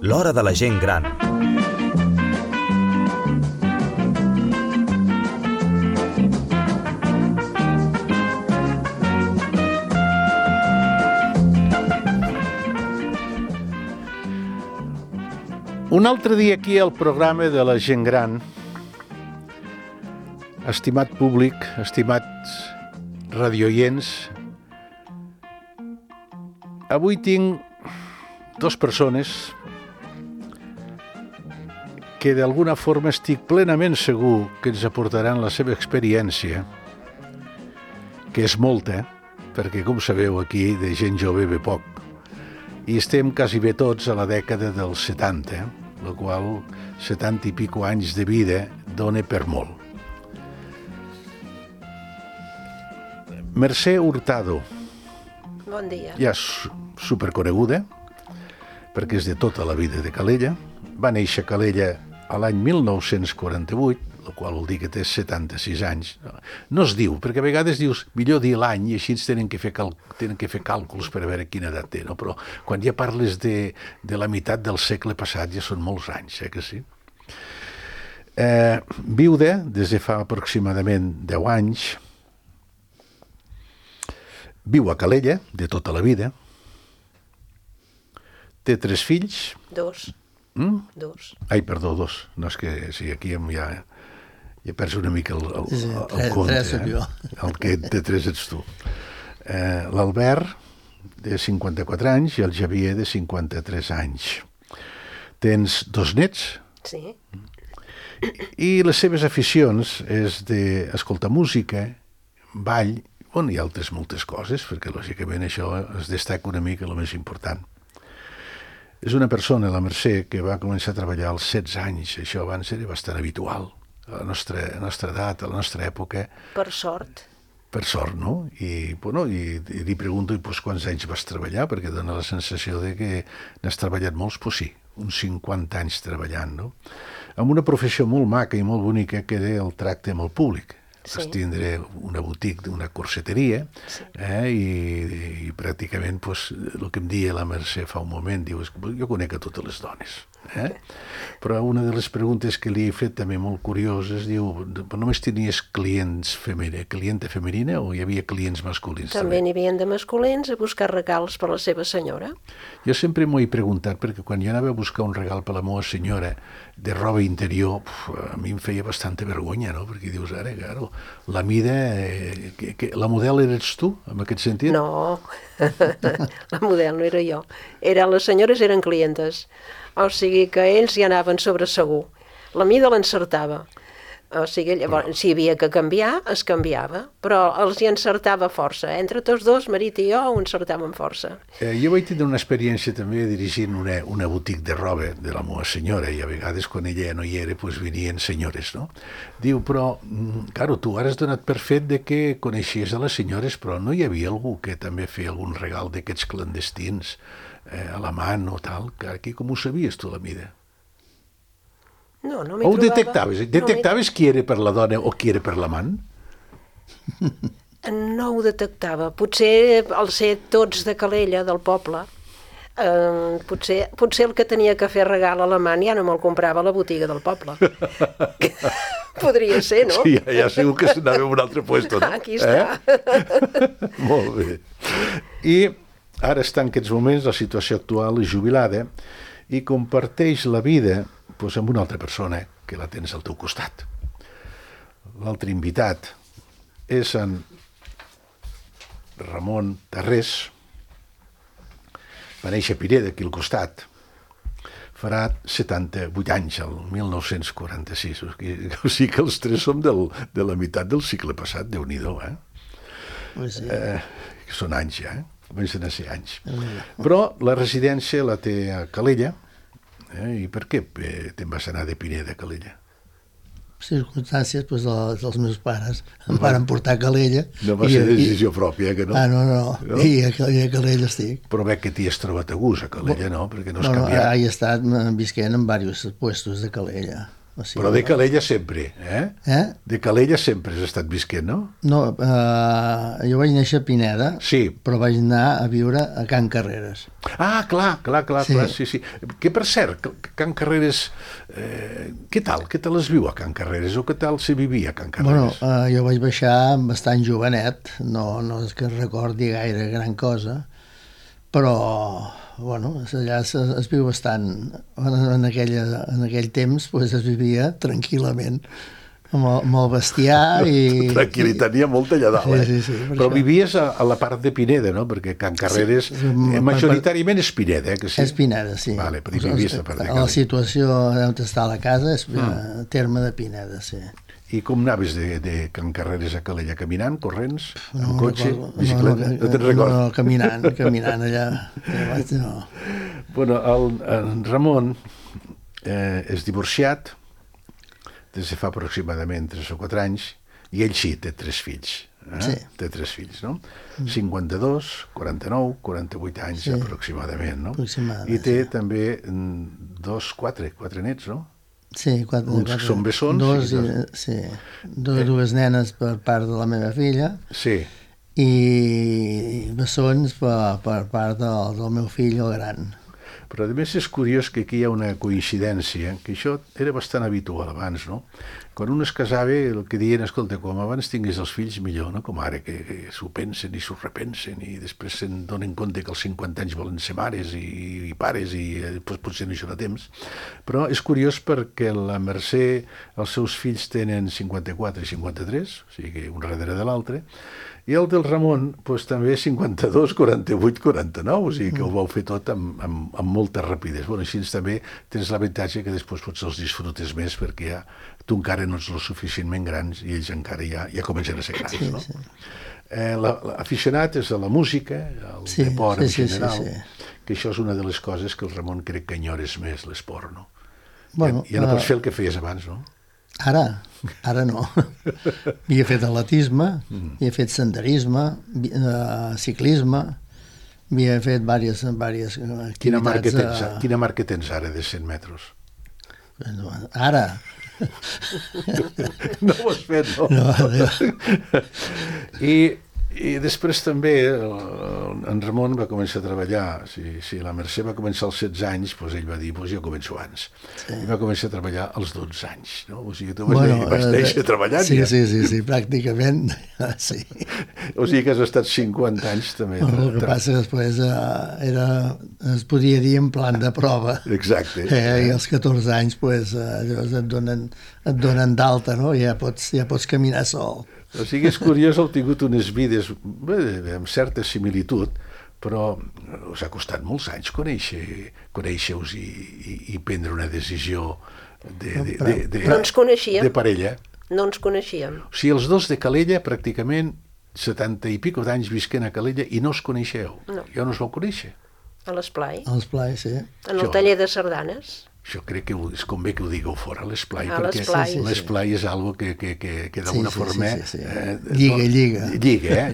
L'hora de la gent gran. Un altre dia aquí al programa de la gent gran. Estimat públic, estimats radioients, avui tinc dues persones que d'alguna forma estic plenament segur que ens aportaran la seva experiència, que és molta, perquè com sabeu aquí de gent jove ve poc, i estem quasi bé tots a la dècada dels 70, la qual 70 i pico anys de vida dona per molt. Mercè Hurtado. Bon dia. Ja és superconeguda, perquè és de tota la vida de Calella. Va néixer a Calella a l'any 1948, la qual vol dir que té 76 anys. No es diu, perquè a vegades dius, millor dir l'any, i així tenen que fer càlculs per a veure quina edat té, no? Però quan ja parles de la meitat del segle passat ja són molts anys, que sí? Viuda des de fa aproximadament 10 anys, viu a Calella de tota la vida, té 3 fills. 2. 2. Ai, perdó, 2. No, és que sí, aquí ja perds una mica el compte. 3 soc jo. El que té 3 ets tu. L'Albert, de 54 anys, i el Javier, de 53 anys. Tens 2 nets? Sí. I les seves aficions és d'escoltar música, ball, i altres moltes coses, perquè lògicament això es destaca una mica el més important. És una persona, la Mercè, que va començar a treballar als 16 anys. Això abans era bastant habitual a la nostra edat, a la nostra època. Per sort. Per sort, no? I li pregunto, quants anys vas treballar? Perquè dona la sensació de que n'has treballat molts, sí, uns 50 anys treballant, no? Amb una professió molt maca i molt bonica que era el tracte amb el públic. Sí. Vas tindre una boutique, una corseteria, sí. I pràcticament el que em deia la Mercè fa un moment, diu, jo conec a totes les dones. Però una de les preguntes que li he fet també molt curioses, diu, només tenies clienta femenina o hi havia clients masculins? També n'hi havia de masculins a buscar regals per la seva senyora. Jo sempre m'ho he preguntat, perquè quan jo anava a buscar un regal per la meva senyora de roba interior, a mi em feia bastanta vergonya, no? Perquè dius, ara, claro, la mida... la model eres tu, en aquest sentit? No, la model no era jo. Les senyores eren clientes. O sigui que ells hi anaven sobre segur. La mida l'encertava. O sigui, llavors, si hi havia que canviar, es canviava. Però els hi encertava força. Entre tots dos, marit i jo, ho encertàvem força. Jo vaig tenir una experiència també dirigint una boutique de roba de la meva senyora, i a vegades quan ella no hi era, venien senyores, no? Diu, però, claro, tu ara has donat per fet de que coneixies a les senyores, però no hi havia algú que també feia algun regal d'aquests clandestins a la mà o tal, que aquí com ho sabies tu la mida? No m'hi trobava. O detectaves qui era per la dona o qui era per l'amant? No ho detectava. Potser al ser tots de Calella, del poble, potser el que tenia que fer regal a l'amant ja no me'l comprava a la botiga del poble. Podria ser, no? Sí, ja segur que s'anava a un altre puesto, no? Aquí està. Molt bé. I ara està en aquests moments, la situació actual és jubilada i comparteix la vida amb una altra persona que la tens al teu costat. L'altre invitat és en Ramon Tarrés, va néixer a Pineda, aquí al costat, farà 78 anys, el 1946, o sigui que els 3 som de la meitat del cicle passat, Déu-n'hi-do, Sí. Són anys ja, comencen a ser anys. Però la residència la té a Calella. I per què te'n vas anar de Pineda a Calella? Circumstàncies dels meus pares em van portar a Calella. No va ser decisió pròpia, que no? No. I a Calella estic. Però veig que t'hi has trobat a gust a Calella, no? Perquè no has canviat. No, he estat visquent en diversos puestos de Calella. O sigui, Però de Calella sempre, eh? De Calella sempre has estat visquent, no? No, jo vaig néixer a Pineda, Sí. però vaig anar a viure a Can Carreres. Ah, clar, sí. Que per cert, Can Carreres, què tal es viu a Can Carreres o què tal se vivia a Can Bueno, Carreres? jo vaig baixar bastant jovenet, no és que recordi gaire gran cosa, però bueno, allà es viu bastant. En aquell temps pues, es vivia tranquil·lament, amb el bestiar i... Tranquil·litat, n'hi ha molta allà dalt, Sí, Però això. vivies a la part de Pineda, no? Perquè Can Carreres majoritàriament és Pineda, que sí? És Pineda, sí. Vale, però hi vivies a part de La Calella. situació on està la casa és terme de Pineda, sí. I com anaves de Can Carreres a Calella? Caminant, corrents, amb No cotxe, recordo. bicicleta? No te'n recordes? No, caminant allà. No. Bueno, en Ramon és divorciat des de fa aproximadament 3 o 4 anys i ell sí, té 3 fills. Sí. Té 3 fills, no? 52, 49, 48 anys Sí. aproximadament, no? Aproximadament, I té també 4 nets, no? Sí, Uns que són bessons Dos, i dos. sí. Dues nenes per part de la meva filla Sí. i bessons per part del meu fill, el gran. Però a més és curiós que aquí hi ha una coincidència, que això era bastant habitual abans, no? Quan un es casava, el que diuen, escolta, com abans tinguis els fills millor, no? Com ara, que s'ho pensen i s'ho repensen i després se'n donen compte que als 50 anys volen ser mares i pares i doncs, potser no hi serà temps. Però és curiós perquè la Mercè, els seus fills tenen 54 i 53, o sigui, un darrere de l'altre, i el del Ramon doncs, també 52, 48, 49, o sigui que ho vau fer tot amb molta rapidesa. Bueno, així també tens l'avantatge que després potser els disfrutes més perquè ja tu encara no ets lo suficientment grans i ells encara ja comencen a ser grans, no? Sí. L'aficionat és a la música, al deport en general, sí. que això és una de les coses que el Ramon crec que enyores més, l'esport, no? Bueno, ja no pots fer el que feies abans, no? Ara no. Havia fet atletisme, havia fet senderisme, ciclisme, havia fet diverses activitats. Quina marca tens ara de 100 metres? Ara. No ho has fet, no? No. I després també en Ramon va començar a treballar, si la Mercè va començar als 16 anys, doncs ell va dir, doncs jo començo abans. Sí. I va començar a treballar als 12 anys, no? O sigui, tu vas néixer treballant ja. Sí, pràcticament, sí. O sigui que has estat 50 anys també. El que passa que després es podia dir en plan de prova. Exacte. I als 14 anys pues, et donen d'alta, no? Ja pots caminar sol. O sigui, és curiós, heu tingut unes vides amb certa similitud, però us ha costat molts anys conèixer-vos i prendre una decisió No ens coneixíem. de parella. No ens coneixíem. O sigui, els dos de Calella, pràcticament 70 i pico d'anys visquent a Calella i no us coneixeu. No. Ja no us vau conèixer. A l'esplai. A l'esplai, sí. En el taller de sardanes. Això crec que és convé que ho digueu fora, l'esplai, A perquè l'esplai. l'esplai és algo que d'alguna forma... Sí. Lliga.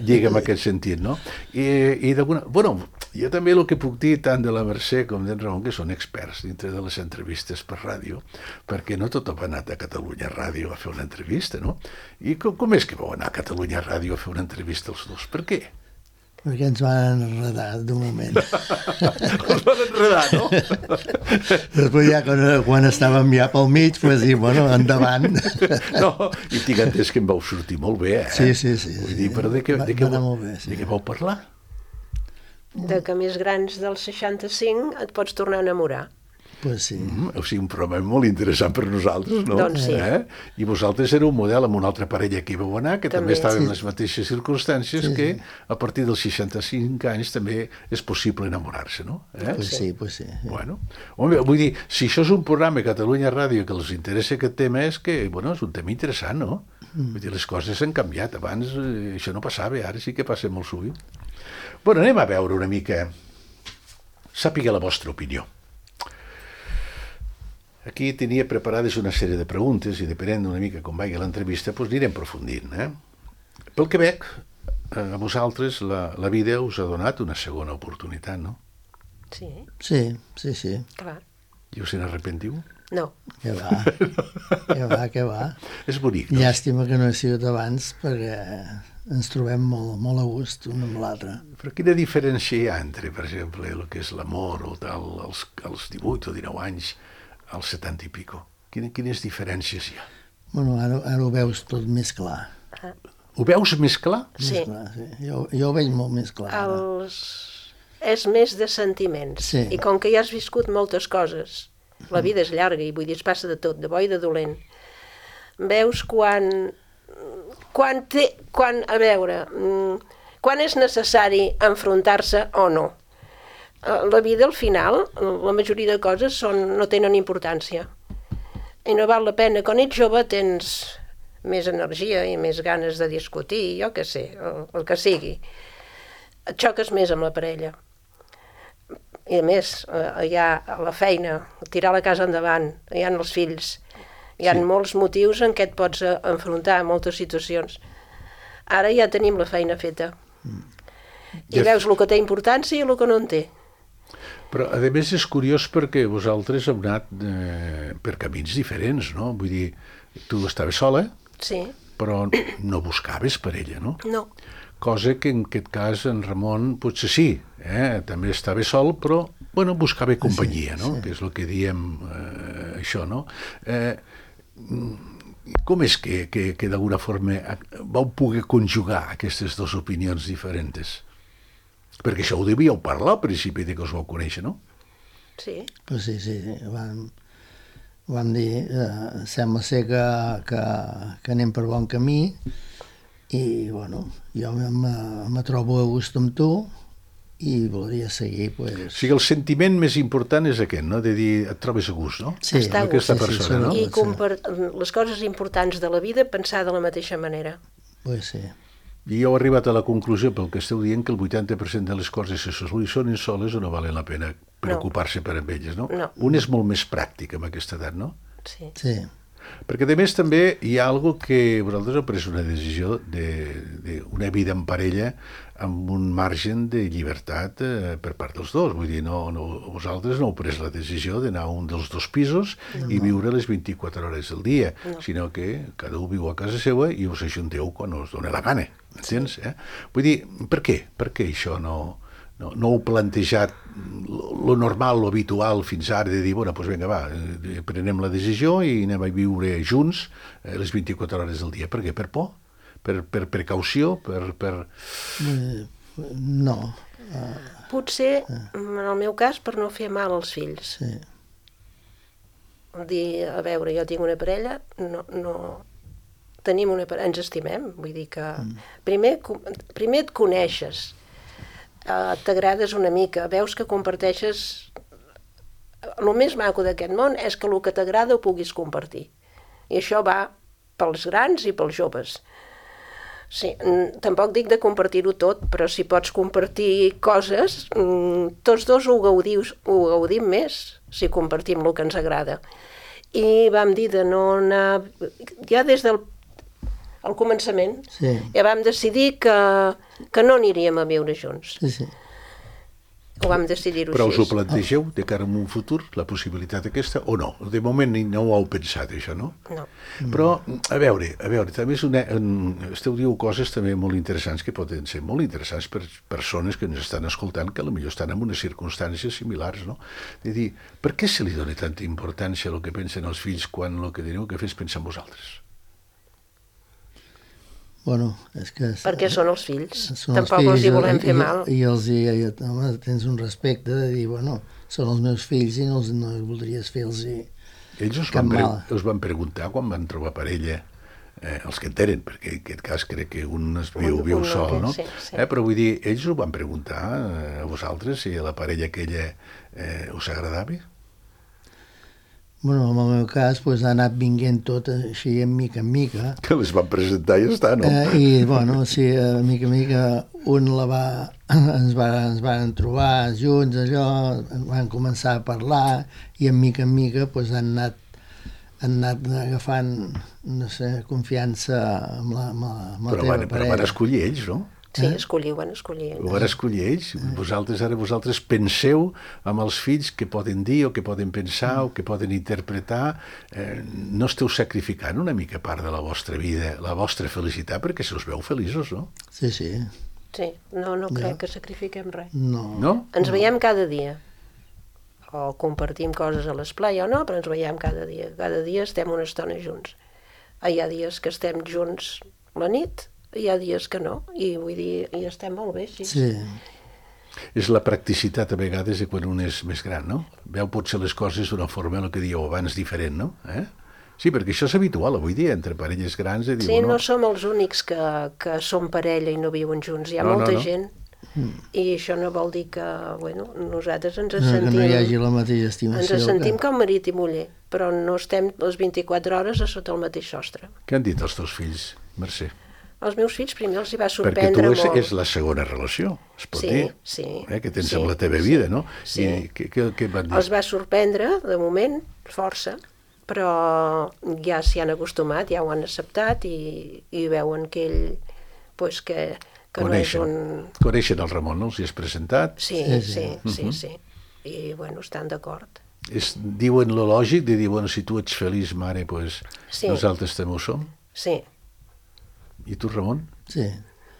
Lliga en aquest sentit, no? I d'alguna... Bueno, jo també el que puc dir tant de la Mercè com d'en Ramon, que són experts dintre de les entrevistes per ràdio, perquè no tothom ha anat a Catalunya Ràdio a fer una entrevista, no? I com és que vau anar a Catalunya Ràdio a fer una entrevista els dos? Per què? Perquè ens van enredar d'un moment. Els van enredar, no? Després ja quan estàvem ja pel mig, pues dir, bueno, endavant. No, i tinc entès que em vau sortir molt bé, eh? Sí. Vull dir, però de què anar molt bé, sí. de què vau parlar? De que més grans del 65 et pots tornar a enamorar. Pues sí. O sigui, un programa molt interessant per nosaltres, no? Doncs sí. I vosaltres éreu un model amb una altra parella que hi vau anar, que també estava en les mateixes circumstàncies, que a partir dels 65 anys també és possible enamorar-se, no? Pues sí. Bueno, home, vull dir, si això és un programa a Catalunya Ràdio que els interessa aquest tema, és que, bueno, és un tema interessant, no? Vull dir, les coses han canviat. Abans això no passava, ara sí que passa molt sovint. Bueno, anem a veure una mica, sàpiga la vostra opinió. Aquí tenia preparades una sèrie de preguntes i depenent una mica com vagi l'entrevista, doncs anirem aprofundint. Pel que veig, a vosaltres la vida us ha donat una segona oportunitat, no? Sí, Sí. clar. I us n'arrepentiu? No. Que va, que va. És bonic, no? Llàstima que no he sigut abans, perquè ens trobem molt, molt a gust un amb l'altre. Però quina diferència hi ha entre, per exemple, el que és l'amor o tal, als 18 o 19 anys, als 70 i pico? Quines diferències hi ha? Bueno, ara ho veus tot més clar. Ho veus més clar? Sí. Més clar, sí. Jo ho veig molt més clar. ara. És més de sentiments. Sí. I com que ja has viscut moltes coses, la vida és llarga i vull dir, es passa de tot, de bo i de dolent. Veus quan és necessari enfrontar-se o no. La vida, al final, la majoria de coses no tenen importància. I no val la pena. Quan ets jove tens més energia i més ganes de discutir, jo què sé, el que sigui. Et xoques més amb la parella. I a més, hi ha la feina, tirar la casa endavant, hi ha els fills, hi ha molts motius en què et pots enfrontar a moltes situacions. Ara ja tenim la feina feta. I veus el que té importància i el que no en té. Però, a més, és curiós perquè vosaltres heu anat per camins diferents, no? Vull dir, tu estaves sola, Sí. però no buscaves parella, no? No. Cosa que en aquest cas en Ramon potser sí, també estava sol, però bueno, buscava companyia, no? Que és el que diem això, no? Com és que d'alguna forma vau poder conjugar aquestes dues opinions diferents? Perquè això ho devíeu parlar al principi de que us vau conèixer, no? Sí. Pues sí, vam dir, sembla ser que anem per bon camí, i bueno, jo me trobo a gust amb tu i voldria seguir, pues... O sigui, el sentiment més important és aquest, no? De dir, et trobes a gust, no? Sí, Està a amb aquesta gust. persona, no? I les coses importants de la vida pensar de la mateixa manera. Pues sí. I heu arribat a la conclusió, pel que esteu dient, que el 80% de les coses que se solucionen soles o no valen la pena preocupar-se per amb elles, no? No. Un és molt més pràctic amb aquesta edat, no? Sí. Sí. Perquè, a més, també hi ha algo que vosaltres heu pres una decisió d'una vida en parella amb un margen de llibertat per part dels dos. Vull dir, vosaltres no heu pres la decisió d'anar a un dels dos pisos i viure les 24 hores del dia, sinó que cada un viu a casa seva i us ajunteu quan us dona la gana, entens? Vull dir, per què? Per què això no heu plantejat lo normal, lo habitual fins ara de dir, bueno, doncs vinga, va, prenem la decisió i anem a viure junts les 24 hores del dia. Per què? Per por? Per precaució? No. Potser, en el meu cas, per no fer mal als fills. Sí. Dir, a veure, jo tinc una parella, tenim una parella, ens estimem, vull dir que primer et coneixes, t'agrades una mica, veus que comparteixes... El més maco d'aquest món és que el que t'agrada ho puguis compartir. I això va pels grans i pels joves. Sí, tampoc dic de compartir-ho tot, però si pots compartir coses, tots dos ho gaudim més si compartim el que ens agrada. I vam dir de no anar... Ja des del començament, ja vam decidir que no aniríem a viure junts. Sí. Ho vam decidir-ho Però us ho així. plantegeu de cara a un futur, la possibilitat aquesta, o no? De moment no ho heu pensat, això, no? No. Però, a veure, també esteu diu coses també molt interessants, que poden ser molt interessants per persones que ens estan escoltant, que potser estan en unes circumstàncies similars, no? De dir, per què se li dona tanta importància a el que pensen els fills quan el que teniu que fer és pensar en vosaltres? Bueno, és que... Perquè són els fills. Són Tampoc els els hi fills, volem fer mal. I home, tens un respecte de dir, bueno, són els meus fills i no voldries fer-los Ells us van preguntar quan van trobar parella, els que en tenen, perquè en aquest cas crec que un viu sol, no? Sí. Però vull dir, ells us van preguntar a vosaltres si a la parella aquella us agradava? Bueno, en el meu cas, ha anat vinguent tot així, en mica en mica. Que les van presentar i ja està, no? I, bueno, sí, en mica en mica ens van trobar junts, allò, van començar a parlar i en mica han anat agafant, no sé, confiança amb la teva parella. Però van escollir ells, no? Sí, escollir, van escollir. Ho van escollir ells. Vosaltres penseu amb els fills què poden dir o què poden pensar o què poden interpretar. No esteu sacrificant una mica part de la vostra vida, la vostra felicitat, perquè se us veu feliços, no? Sí, sí. Sí, no crec que sacrifiquem res. No? Ens veiem cada dia. O compartim coses a l'esplai o no, però ens veiem cada dia. Cada dia estem una estona junts. Hi ha dies que estem junts la nit, hi ha dies que no, i vull dir, i estem molt bé, sí. Sí. És la practicitat a vegades de quan un és més gran, no? Veu potser les coses d'una forma, el que dieu abans, diferent, no? Sí, perquè això és habitual avui dia, entre parelles grans, de dir, Sí, no som els únics que som parella i no viuen junts, hi ha molta gent, i això no vol dir que, bueno, nosaltres ens sentim... Que no hi hagi la mateixa estimació. Ens sentim com marit i muller, però no estem les 24 hores a sota el mateix sostre. Què han dit els teus fills, Mercè? Els meus fills primer els hi va Perquè sorprendre tu molt. és la segona relació, es pot dir, que tens amb la teva vida, no? Sí. I què van dir? Els va sorprendre, de moment, força, però ja s'hi han acostumat, ja ho han acceptat i veuen que ell, pues, que no és un... Coneixen el Ramon, no? Els hi has presentat? Sí. I, bueno, estan d'acord. Diuen lo lògic de dir, bueno, si tu ets feliç, mare, pues nosaltres també ho som? Sí. I tu, Ramon? Sí.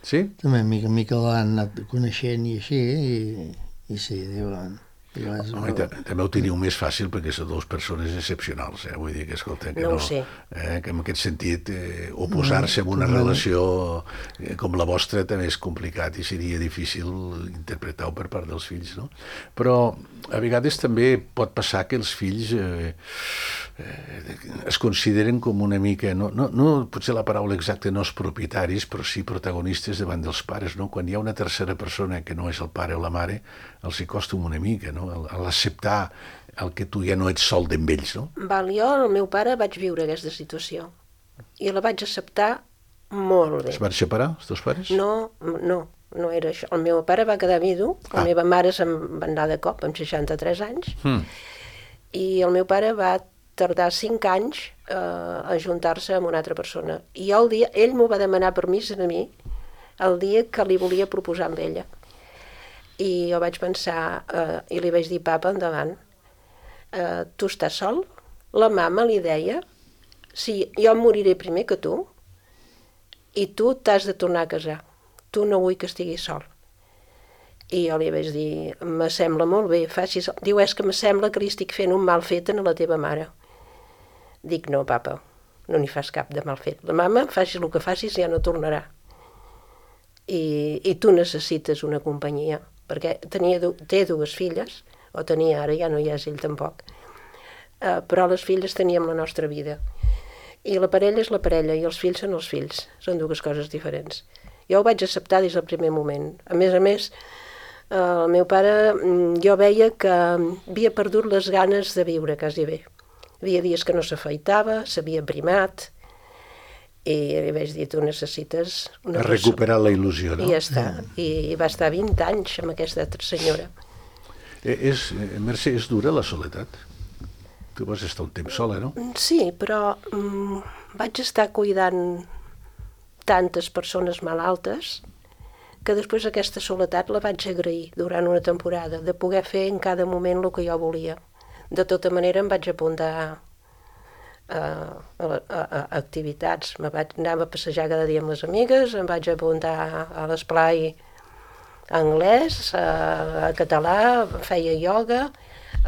Sí? També mica en mica l'han anat coneixent i així, i sí, diuen... Home, també ho teniu més fàcil perquè sou dues persones excepcionals, vull dir que, escolta, que no ho sé. Que en aquest sentit oposar-se a una relació com la vostra també és complicat i seria difícil interpretar-ho per part dels fills, no? Però a vegades també pot passar que els fills es consideren com una mica, no potser la paraula exacta no és propietaris, però sí protagonistes davant dels pares, no? Quan hi ha una tercera persona que no és el pare o la mare, els hi costa una mica, no? A l'acceptar el que tu ja no ets sol amb ells, no? Val, jo, el meu pare, vaig viure aquesta situació i la vaig acceptar molt bé. Es van separar, els teus pares? No era això. El meu pare va quedar vidu, la meva mare se'n va anar de cop amb 63 anys i el meu pare va tardar 5 anys a ajuntar-se amb una altra persona. I jo ell m'ho va demanar permís a mi el dia que li volia proposar amb ella. I jo vaig pensar, i li vaig dir, papa, endavant, tu estàs sol? La mama li deia, sí, jo em moriré primer que tu, i tu t'has de tornar a casar. Tu no vull que estiguis sol. I jo li vaig dir, me sembla molt bé, facis... Diu, és que me sembla que li estic fent un mal fet a la teva mare. Dic, no, papa, no n'hi fas cap de mal fet. La mama, facis el que facis, ja no tornarà. I tu necessites una companyia, perquè té 2 filles, o tenia, ara ja no hi és ell tampoc, però les filles teníem la nostra vida. I la parella és la parella, i els fills són els fills, són 2 coses diferents. Jo ho vaig acceptar des del primer moment. A més, el meu pare, jo veia que havia perdut les ganes de viure, quasi bé. Hi havia dies que no s'afeitava, s'havia primat, i li vaig dir, tu necessites... recuperar la il·lusió, no? I ja està. I va estar 20 anys amb aquesta altra senyora. Mercè, és dura la soledat? Tu vas estar un temps sola, no? Sí, però vaig estar cuidant tantes persones malaltes que després aquesta soledat la vaig agrair durant una temporada, de poder fer en cada moment el que jo volia. De tota manera em vaig apuntar a activitats. Anava a passejar cada dia amb les amigues, em vaig apuntar a l'esplai anglès, a català, feia ioga,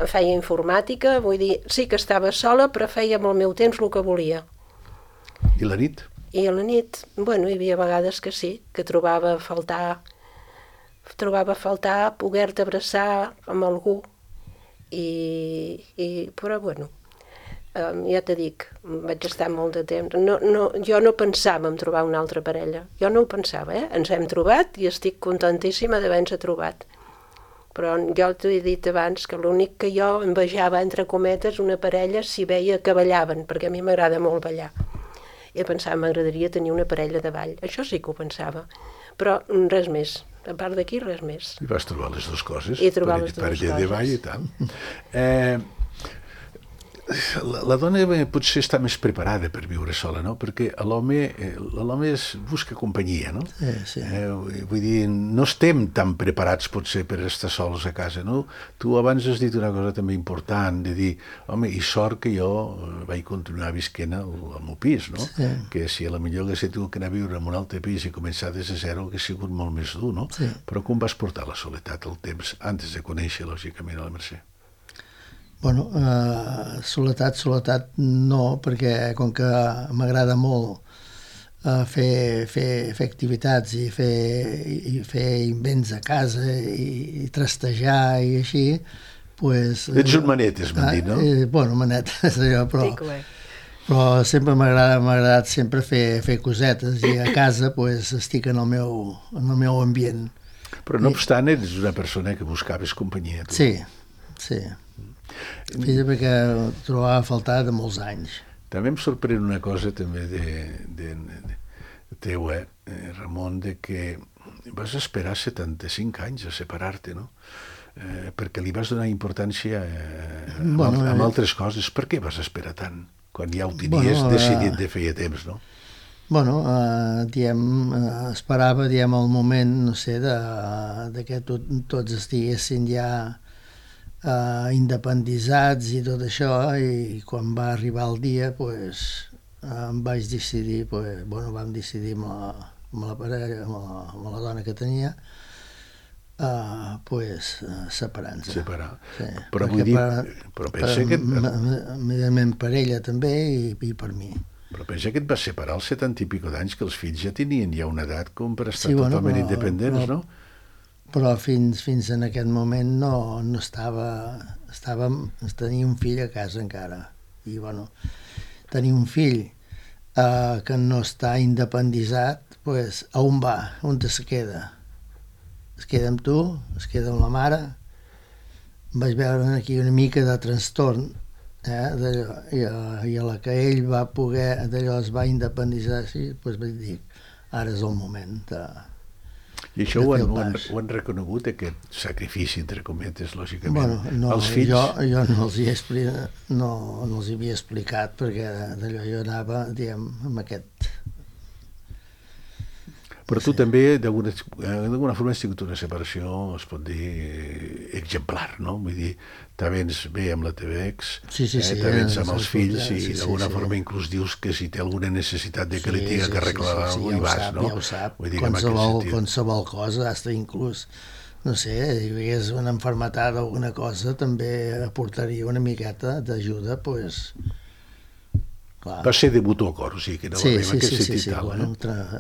feia informàtica, vull dir, sí que estava sola, però feia amb el meu temps el que volia. I la nit? I a la nit, bueno, hi havia vegades que sí, que trobava a faltar poder-te abraçar amb algú, però bueno, ja t'he dic, vaig estar molt de temps. Jo no pensava en trobar una altra parella, jo no ho pensava, ens hem trobat i estic contentíssima d'haver-nos trobat. Però jo t'ho he dit abans que l'únic que jo envejava, entre cometes, una parella si veia que ballaven, perquè a mi m'agrada molt ballar. I pensava, m'agradaria tenir una parella de ball. Això sí que ho pensava, però res més. A part d'aquí, res més. I vas trobar les dues coses. I trobar les dues coses. Parella de ball i tal. La dona potser està més preparada per viure sola, no? Perquè l'home busca companyia, no? Sí. Vull dir, no estem tan preparats potser per estar sols a casa, no? Tu abans has dit una cosa també important, de dir, home, i sort que jo vaig continuar visquent al meu pis, no? Sí. Que si a la millor hagués tingut que anar a viure en un altre pis i començar des de zero hagués sigut molt més dur, no? Sí. Però com vas portar la soledat el temps antes de conèixer, lògicament, a la Mercè? Bueno, soledat no, perquè com que m'agrada molt fer activitats i fer invents a casa i trastejar i així, pues... Ets un manet, m'han dit, no? Bueno, manet, és allò, Pico, però sempre m'ha agradat sempre fer cosetes i a casa pues, estic en el meu ambient. Però no obstant, ets una persona que buscaves companyia. Tu. Sí. Fins perquè trobava a faltar de molts anys. També em sorprèn una cosa també teu, Ramon, de que vas esperar 75 anys a separar-te, no? Perquè li vas donar importància a altres coses. Per què vas esperar tant? Quan ja ho tenies decidit de feia temps, no? Bueno, esperava, el moment, no sé, de que tots estiguessin ja independitzats i tot això, i quan va arribar el dia, pues, em vaig decidir, vam decidir amb la parella, amb la dona que tenia, separar-nos. Separar. Sí. Però vull dir, però pensa que... Evidentment per ella també i per mi. Però pensa que et vas separar als 70 i pico d'anys, que els fills ja tenien ja una edat com per estar totalment independents, no? Però fins en aquest moment no tenia un fill a casa encara. I bueno, tenir un fill que no està independitzat, pues, a on va? On es queda? Es queda amb tu? Es queda amb la mare? Vaig veure aquí una mica de trastorn, i a la que ell va poder, es va independitzar, pues vaig dir, ara és el moment de... I això ho han reconegut, aquest sacrifici, entre cometes, lògicament. Bueno, els fills... jo no els hi havia explicat, perquè d'allò jo anava, amb aquest... Però tu també, d'alguna forma, has tingut una separació, es pot dir, exemplar, no? Vull dir, te vens bé amb la teva ex, te vens amb els fills i d'alguna forma inclús dius que si té alguna necessitat de que li tinga que arreglar alguna cosa hi vas, no? Ja ho sap, vull dir qualsevol cosa, hasta inclús, no sé, si hi hagués una malaltia o alguna cosa, també aportaria una miqueta d'ajuda, doncs... Va ser de mutu acord, o sigui, que no va haver en aquest sentit tal. Bueno,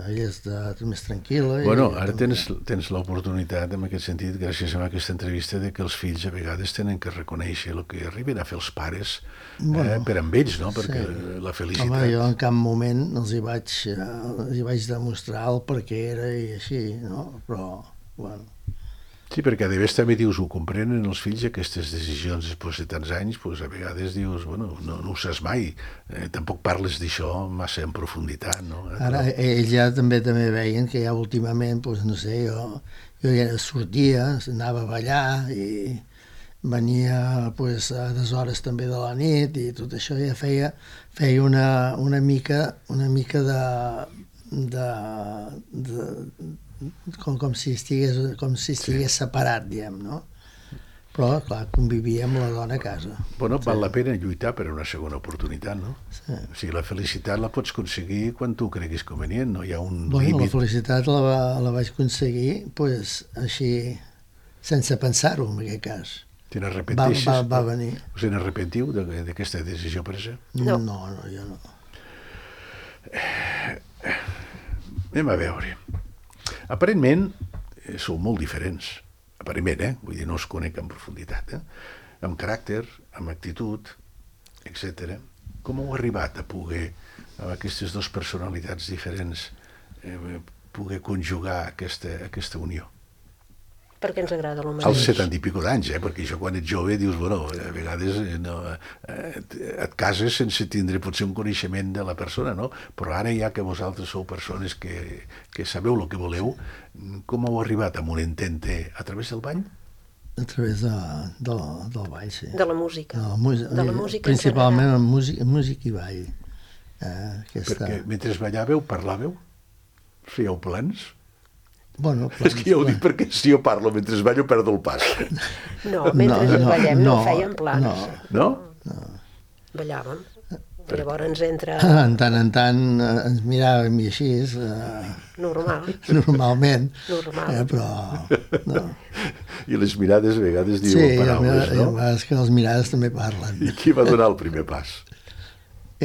ella està més tranquil·la. Bueno, ara tens l'oportunitat, en aquest sentit, gràcies a aquesta entrevista, de que els fills a vegades tenen que reconèixer el que arriben a fer els pares per amb ells, no? Perquè la felicitat... Home, jo en cap moment els hi vaig demostrar el per què era i així, no? Però, bueno... Sí, perquè a més també dius, ho comprenen els fills, aquestes decisions després de tants anys, doncs a vegades dius, bueno, no ho saps mai, tampoc parles d'això massa en profunditat, no? Ara, ells ja també veien que ja últimament, doncs no sé, jo ja sortia, anava a ballar i venia pues, a les hores també de la nit i tot això ja feia una mica de com si estigués separat, diguem, no? Però, clar, convivia amb la dona a casa. Bueno, val la pena lluitar per una segona oportunitat, no? Sí. O sigui, la felicitat la pots aconseguir quan tu creguis convenient, no hi ha un límit. límit. La felicitat la vaig aconseguir, pues, així, sense pensar-ho, en aquest cas. Te n'arrepenteixes? Va venir. Us n'arrepentiu d'aquesta decisió presa? No, jo no. Anem a veure. Aparentment, sou molt diferents. Aparentment, vull dir, no us conec en profunditat, amb caràcter, amb actitud, etc. Com heu arribat a poder, amb aquestes dues personalitats diferents, poder conjugar aquesta unió? Perquè ens agrada el mateix. Als 70 i pico d'anys, perquè això quan ets jove dius, bueno, a vegades et cases sense tindre potser un coneixement de la persona, no? Però ara ja que vosaltres sou persones que sabeu el que voleu, com heu arribat a un entente a través del bany? A través del ball, sí. De la música. De la música principalment en música i ball. Perquè mentre ballàveu, parlàveu? Fèieu plans? Bueno, És que ja ho dic perquè si jo parlo mentre ballo perdo el pas. No, mentre ballem no fèiem plans. No? Ballàvem. Llavors entra... En tant ens miràvem i així, Normal. normalment, Normal. però... No. I les mirades a vegades Sí, diuen paraules, a no? vegades que les mirades també parlen. I qui va donar el primer pas?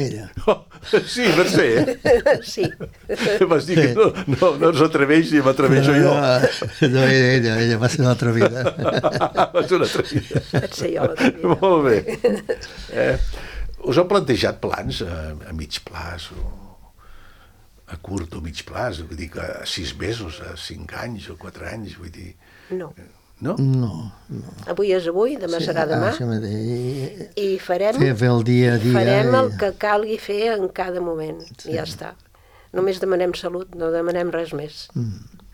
Ella. Oh, sí, Mercè, Sí. vas dir que no s'atreveix i m'atreveixo jo. No, ella va ser l'altra vida. Va ser una atrevida. Vaig ser jo l'altre dia. Molt bé. Us heu plantejat plans a mig plaç o a curt o mig plaç? Vull dir que a 6 mesos, a 5 anys o 4 anys, vull dir... No. No? No. Avui és avui, demà serà demà. Això mateix. I farem... Fer el dia a dia. Farem el que calgui fer en cada moment. I ja està. Només demanem salut, no demanem res més.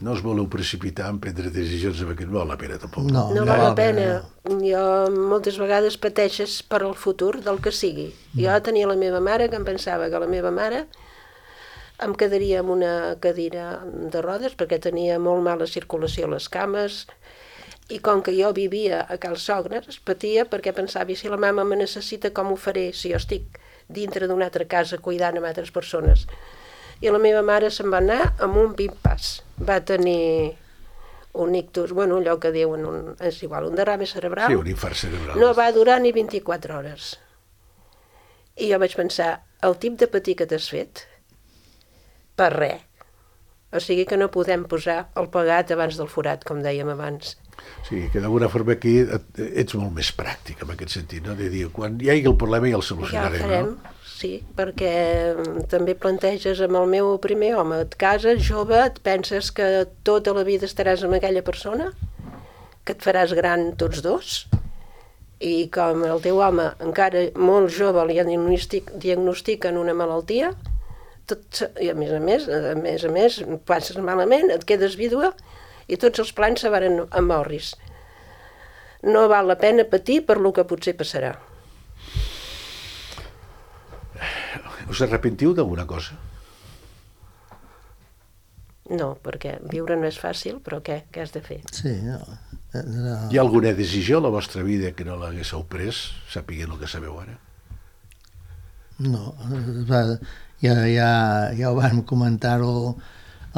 No us voleu precipitar en prendre decisions perquè no val la pena tampoc. No, No val la pena. Jo moltes vegades pateixes per al futur del que sigui. Jo tenia la meva mare, que em pensava que la meva mare em quedaria amb una cadira de rodes perquè tenia molt mala circulació a les cames, i com que jo vivia a Cal Sogres, patia perquè pensava, i si la mama me necessita, com ho faré si jo estic dintre d'una altra casa cuidant amb altres persones? I la meva mare se'n va anar amb un pim-pas. Va tenir un ictus, bueno, allò que diuen, és igual, un derrame cerebral. Sí, un infart cerebral. No va durar ni 24 hores. I jo vaig pensar, el tip de patir que t'has fet, per res. O sigui que no podem posar el pegat abans del forat, com dèiem abans. Sí, que d'alguna forma aquí ets molt més pràctic en aquest sentit, no? De dir, quan hi hagi el problema ja el Ja solucionarem, el farem, no? sí, perquè també planteges amb el meu primer home, et cases jove, et penses que tota la vida estaràs amb aquella persona, que et faràs gran tots dos, i com el teu home encara molt jove li diagnostiquen una malaltia, i a més, passes malament, et quedes vídua, i tots els plans se van a morris. No val la pena patir per lo que potser passarà. Us arrepentiu d'alguna cosa? No, perquè viure no és fàcil, però què has de fer? Sí, no. Hi ha alguna decisió a la vostra vida que no l'haguéssiu pres, sapiguent el que sabeu ara? No, ja ho vam comentar-ho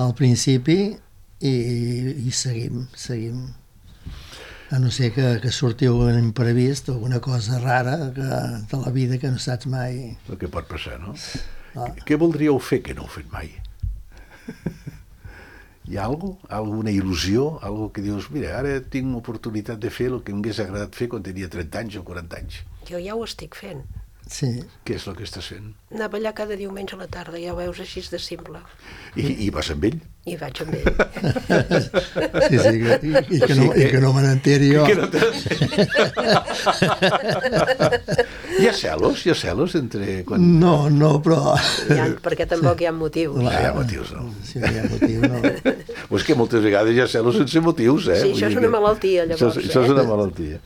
al principi i seguim. A no ser que sortiu un imprevist, alguna cosa rara de la vida que no saps mai. El que pot passar, no? Què voldríeu fer que no heu fet mai? Hi ha alguna il·lusió? Algo que dius, mira, ara tinc oportunitat de fer el que m'hagués agradat fer quan tenia 30 anys o 40 anys. Jo ja ho estic fent. Sí. Què és el que estàs fent? Anar a ballar cada diumenge a la tarda, ja ho veus així de simple. I vas amb ell? I vaig amb ell. Sí, i que no me n'enteri jo. Hi ha celos entre... No, però... Perquè tampoc hi ha motius. Hi ha motius, no? Sí, hi ha motius, no. Pues que moltes vegades hi ha celos sense motius, eh? Sí, això és una malaltia, llavors. Això és una malaltia.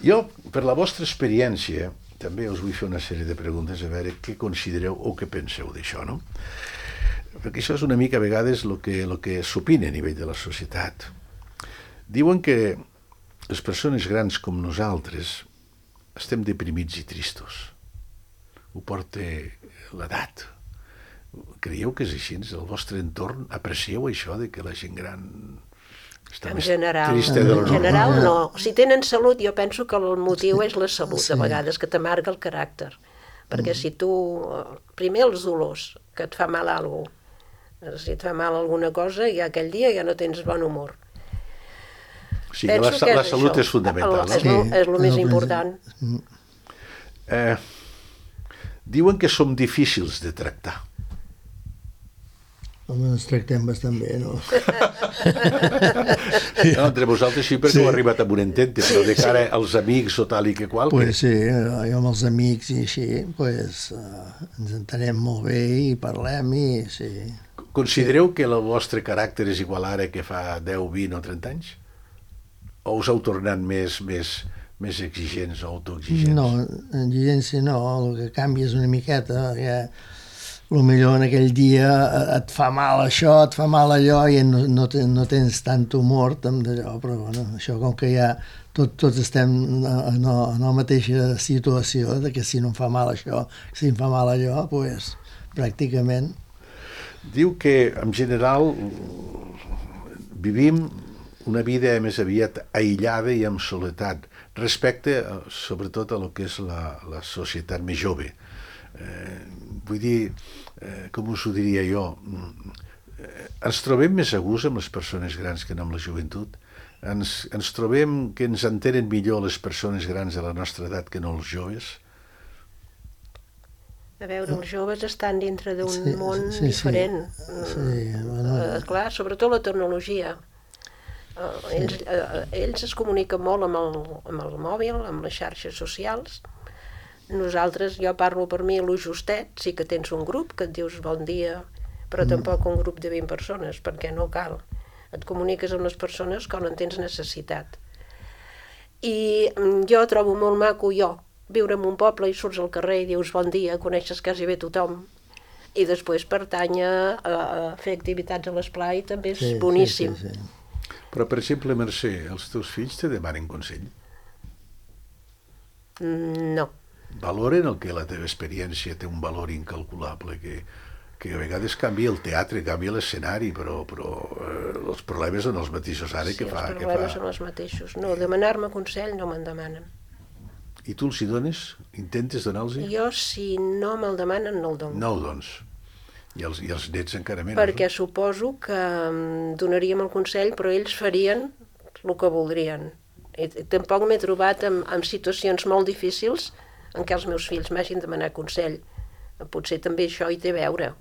Jo, per la vostra experiència, també us vull fer una sèrie de preguntes a veure què considereu o què penseu d'això, no? Perquè això és una mica a vegades el que s'opina a nivell de la societat. Diuen que les persones grans com nosaltres estem deprimits i tristos. Ho porta l'edat. Creieu que és així? El vostre entorn aprecieu això de que la gent gran està En més general, trista de lo en general normal? no. Si tenen salut, jo penso que el motiu és la salut, de vegades, que t'amarga el caràcter. Perquè si tu, primer els dolors, que et fa mal alguna cosa, si et fa mal alguna cosa, ja aquell dia ja no tens bon humor. O sigui, la salut és fundamental, no? És el més important. Diuen que som difícils de tractar. Home, ens tractem bastant bé, no? No, entre vosaltres sí, perquè heu arribat a un entente, però de cara als amics o tal i que qual... Pues sí, jo amb els amics i així, pues, ens entenem molt bé i parlem i sí. Considereu que el vostre caràcter és igual ara que fa 10, 20 o 30 anys? o us heu tornat més exigents o autoexigents? No, exigència no, el que canvia és una miqueta, perquè potser en aquell dia et fa mal això, et fa mal allò i no tens tant humor d'allò, però bueno, això com que ja tots estem en la mateixa situació, de que si no em fa mal això, si em fa mal allò, doncs pràcticament. Diu que en general vivim una vida més aviat aïllada i amb soledat respecte sobretot a lo que és la societat més jove. Vull dir, com us ho diria jo, ens trobem més a gust amb les persones grans que no amb la joventut. Ens trobem que ens entenen millor les persones grans de la nostra edat que no els joves. A veure, els joves estan dintre d'un món diferent. Clar, sobretot la tecnologia. Ells es comuniquen molt amb el mòbil, amb les xarxes socials. Nosaltres, jo parlo per mi, lo justet, sí que tens un grup que et dius bon dia, però tampoc un grup de 20 persones, perquè no cal. Et comuniques amb les persones quan en tens necessitat. I jo trobo molt maco, viure en un poble i surts al carrer i dius bon dia, coneixes quasi bé tothom, i després pertany a fer activitats a l'esplai també és boníssim. Sí. Però, per exemple, Mercè, els teus fills te demanen consell? No. Valoren el que la teva experiència té un valor incalculable, que a vegades canvia el teatre, canvia l'escenari, però els problemes són els mateixos ara que fa... Sí, els problemes són els mateixos. No, demanar-me consell no me'n demanen. I tu els hi dones? Intentes donar-los? Jo, si no me'l demanen, no el dono. No ho dones. I els nets encara menys. Perquè suposo que donaríem el consell, però ells farien el que voldrien. I tampoc m'he trobat en situacions molt difícils en què els meus fills m'hagin demanat consell. Potser també això hi té a veure.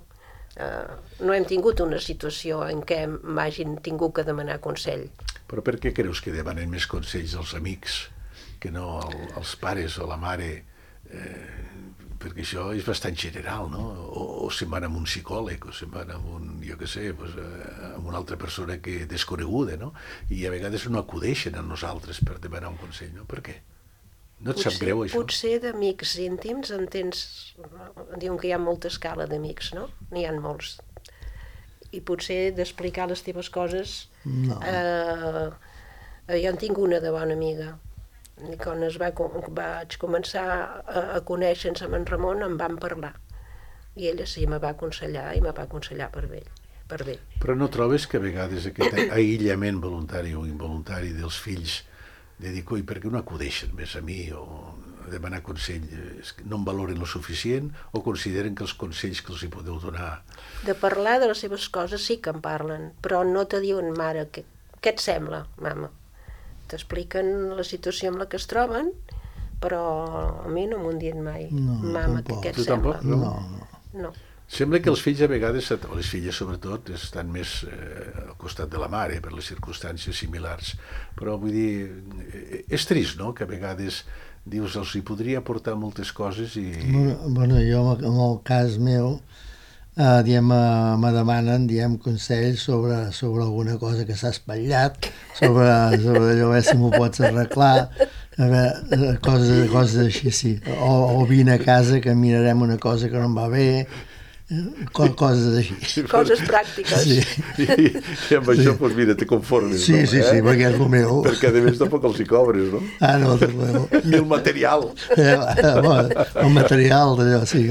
No hem tingut una situació en què m'hagin tingut que demanar consell. Però per què creus que demanen més consells als amics que no als pares o la mare? Perquè això és bastant general, no? O se'n van amb un psicòleg, o se'n van amb amb una altra persona que desconeguda, no? I a vegades no acudeixen a nosaltres per demanar un consell, no? Per què? No et sap greu, això? Potser d'amics íntims en tens... Diuen que hi ha molta escala d'amics, no? N'hi ha molts. I potser d'explicar les teves coses... No. Jo en tinc una de bona amiga. I quan vaig començar a conèixer-nos amb en Ramon em van parlar. I ella sí, me va aconsellar i me va aconsellar per bé. Però no trobes que a vegades aquest aïllament voluntari o involuntari dels fills de dir, coi, per què no acudeixen més a mi o a demanar consell? No em valoren lo suficient o consideren que els consells que els hi podeu donar... De parlar de les seves coses sí que en parlen, però no te diuen, mare, què et sembla, mama? T'expliquen la situació en la que es troben, però a mi no m'ho han dit mai. No, mama, tampoc. què et Tu sembla? tampoc? No. Sembla que els fills a vegades, o les filles sobretot, estan més al costat de la mare per les circumstàncies similars. Però vull dir, és trist, no?, que a vegades dius, els hi podria aportar moltes coses i... Bueno, jo en el cas meu, me demanen consells sobre alguna cosa que s'ha espatllat, sobre allò, a veure si m'ho pots arreglar, a veure, coses així, sí. O vine a casa que mirarem una cosa que no em va bé, coses així. Coses pràctiques. Sí. I amb això, doncs mira, te conformes, Sí, no? sí, perquè és el meu. Perquè a més tampoc els hi cobres, no? No, del meu. Ni el material. El material d'allò, sí.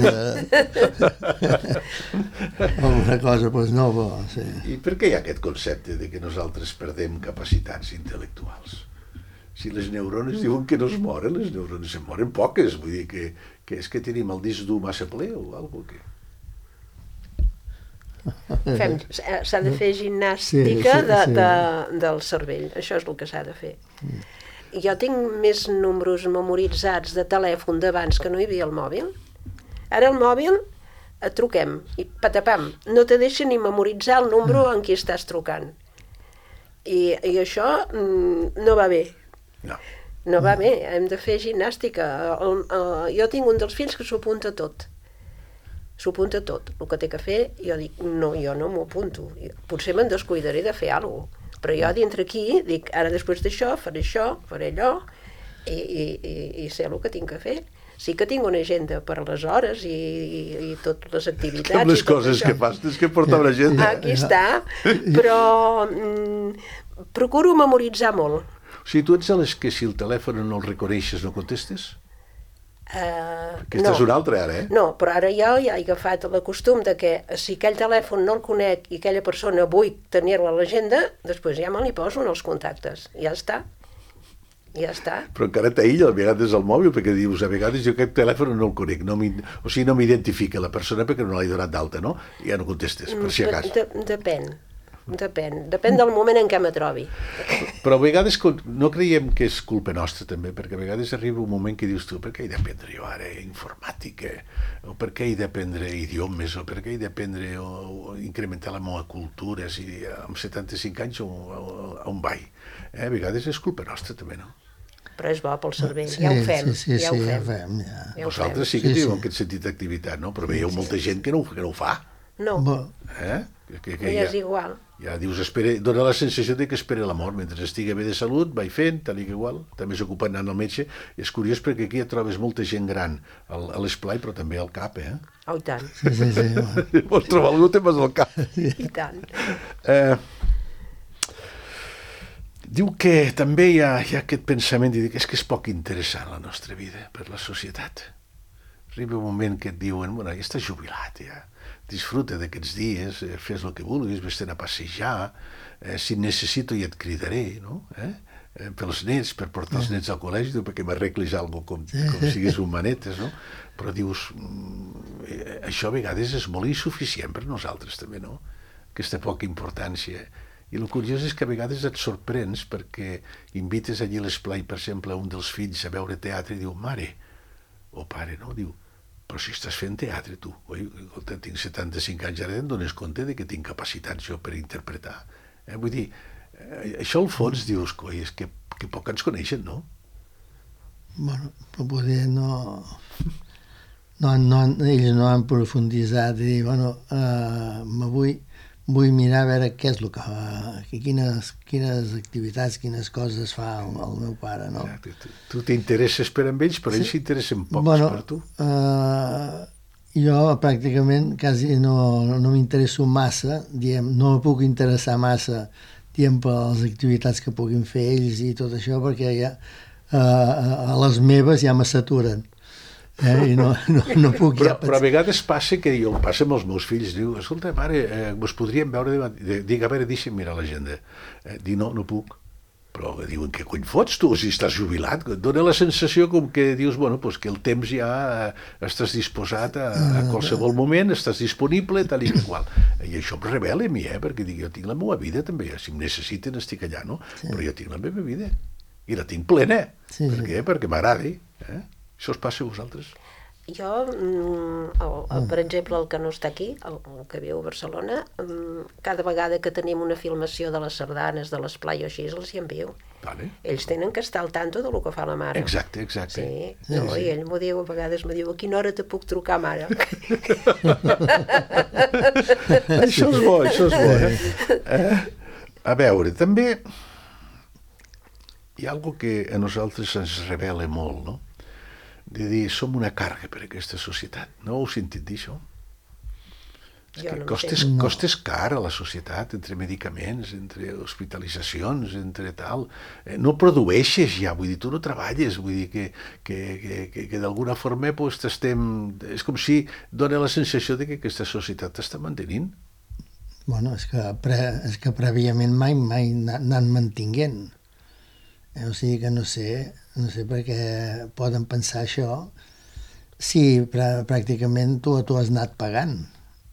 Alguna cosa, doncs no, però sí. I per què hi ha aquest concepte de que nosaltres perdem capacitats intel·lectuals? Si les neurones diuen que no es moren, les neurones se'n moren poques, vull dir que és que tenim el disc dur massa ple o alguna cosa. S'ha de fer gimnàstica del cervell, això és el que s'ha de fer. Jo tinc més números memoritzats de telèfon d'abans que no hi havia el mòbil. Ara el mòbil et truquem i patapam, no te deixa ni memoritzar el número en qui estàs trucant. I això no va bé. No va bé, hem de fer gimnàstica. Jo tinc un dels fills que s'ho apunta tot. s'ho apunta tot, el que té que fer. Jo dic, no, jo no m'ho apunto, potser me'n descuidaré de fer alguna cosa, però jo dintre aquí dic, ara després d'això, faré allò, i sé el que tinc que fer. Sí que tinc una agenda per a les hores i totes les activitats. Amb les coses que fas, tens que portar una agenda. Aquí està, però procuro memoritzar molt. O sigui, tu ets de les que si el telèfon no el reconeixes no contestes? Aquesta és una altra, ara, No, però ara jo ja he agafat el costum de que si aquell telèfon no el conec i aquella persona vull tenir-la a l'agenda, després ja me li poso en els contactes. Ja està. Però encara t'aïlla a vegades el mòbil, perquè dius, a vegades jo aquest telèfon no el conec, no m'identifica la persona perquè no l'he donat d'alta, no? I ja no contestes, per si acas. Depèn del moment en què me trobi. Però a vegades no creiem que és culpa nostra també, perquè a vegades arriba un moment que dius tu, per què he d'aprendre jo ara informàtica? O per què he d'aprendre idiomes? O per què he d'aprendre o incrementar la meva cultura? Si amb 75 anys on vaig? A vegades és culpa nostra també, no? Però és bo pel cervell, ja ho fem. Ja ho fem. Vosaltres sí que teniu aquest sentit d'activitat, no? Però veieu molta gent que no ho fa. No, Que ja és igual. Ja dius, dona la sensació de que espera la mort. Mentre estigui bé de salut, vaig fent, tal i que igual. També s'ocupa anant al metge. És curiós perquè aquí ja trobes molta gent gran a l'esplai, però també al cap, Oh, i tant. Sí. Vols trobar algú, te'n vas al cap. I tant. Diu que també hi ha aquest pensament de dir que és poc interessant la nostra vida per la societat. Arriba un moment que et diuen, bueno, ja estàs jubilat, ja. Disfruta d'aquests dies, fes el que vulguis, vés-te'n a passejar, si et necessito ja et cridaré, no? Pels nets, per portar els nets al col·legi, perquè m'arreglis alguna cosa com siguis un manetes, no? Però dius, això a vegades és molt insuficient per nosaltres també, no? Aquesta poca importància. I el curiós és que a vegades et sorprens perquè invites allí a l'esplai, per exemple, un dels fills a veure teatre i diu, mare, o pare, no? Diu, però si estàs fent teatre tu, oi? Escolta, tinc 75 anys, ara em dones compte de que tinc capacitats jo per interpretar. Vull dir, això al fons dius, coi, és que poc ens coneixen, no? Bueno, però poder ells no han profunditzat i dir, bueno, vull mirar a veure què és el que quines activitats, quines coses fa el meu pare, no? Tu t'interesses per amb ells, però ells s'interessen pocs per tu. Jo pràcticament quasi no m'interesso massa, no me puc interessar massa per les activitats que puguin fer ells i tot això, perquè ja a les meves ja me saturen. I no puc però a vegades passa que passa amb els meus fills, diu, escolta, mare, vos podríem veure, dic, a veure, deixa'm mirar l'agenda. Dic, no puc. Però diuen, què cony fots tu, si estàs jubilat? Dóna la sensació com que dius, bueno, pues que el temps ja estàs disposat a qualsevol moment, estàs disponible, tal i qual. I això em revela a mi, perquè dic, jo tinc la meva vida també, si em necessiten estic allà, no? Però jo tinc la meva vida, i la tinc plena. Per què? Perquè m'agrada, Això us passa a vosaltres? Jo, per exemple, el que no està aquí, el que viu a Barcelona, cada vegada que tenim una filmació de les sardanes, de l'esplai o així, els hi envio. Vale. Ells tenen que estar al tanto del que fa la mare. Exacte. Sí. I ell m'ho diu, a vegades m'ho diu, a quina hora te puc trucar, mare? Això és bo, A veure, també hi ha alguna que a nosaltres ens revela molt, no? De dir, som una càrrega per a aquesta societat. No heu sentit dir això? Costes car a la societat, entre medicaments, entre hospitalitzacions, entre tal. No produeixes ja, vull dir, tu no treballes, vull dir que d'alguna forma és com si dona la sensació de que aquesta societat t'està mantenint. Bueno, és que prèviament mai anant mantinguent. O sigui que no sé per què poden pensar això si pràcticament tu has anat pagant.